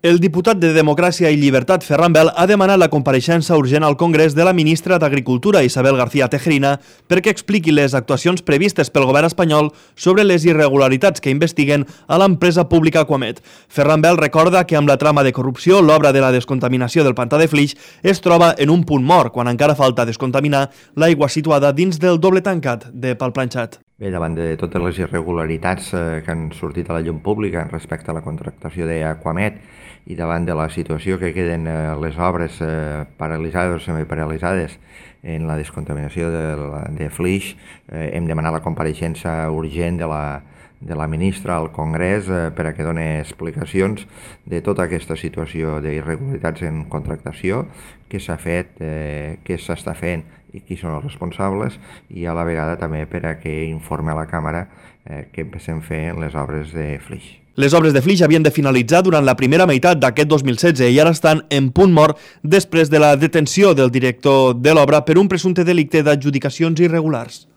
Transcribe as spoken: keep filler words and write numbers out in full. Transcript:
El diputat de Democràcia i Llibertat, Ferran Bel, ha demanat la compareixença urgent al Congrés de la ministra d'Agricultura, Isabel García Tejerina, perquè expliqui les actuacions previstes pel govern espanyol sobre les irregularitats que investiguen a l'empresa pública Aquamet. Ferran Bel recorda que amb la trama de corrupció, l'obra de la descontaminació del pantà de Flix es troba en un punt mort, quan encara falta descontaminar l'aigua situada dins del doble tancat de Palplanxat. Bé, davant de totes les irregularitats eh, que han sortit a la llum pública respecte a la contractació d'Aquamet i davant de la situació que queden eh, les obres eh, paralitzades o semiparalitzades en la descontaminació de, de Flix, eh, hem demanat la compareixença urgent de la, de la ministra al Congrés eh, per a que doni explicacions de tota aquesta situació d'irregularitats en contractació, què s'ha fet, eh, què s'està fent i qui són els responsables, i a la vegada també per a que informe a la Càmera eh, que empecem a fer les obres de Flix. Les obres de Flix havien de finalitzar durant la primera meitat d'aquest dos mil setze i ara estan en punt mort després de la detenció del director de l'obra per un presumpte delicte d'adjudicacions irregulars.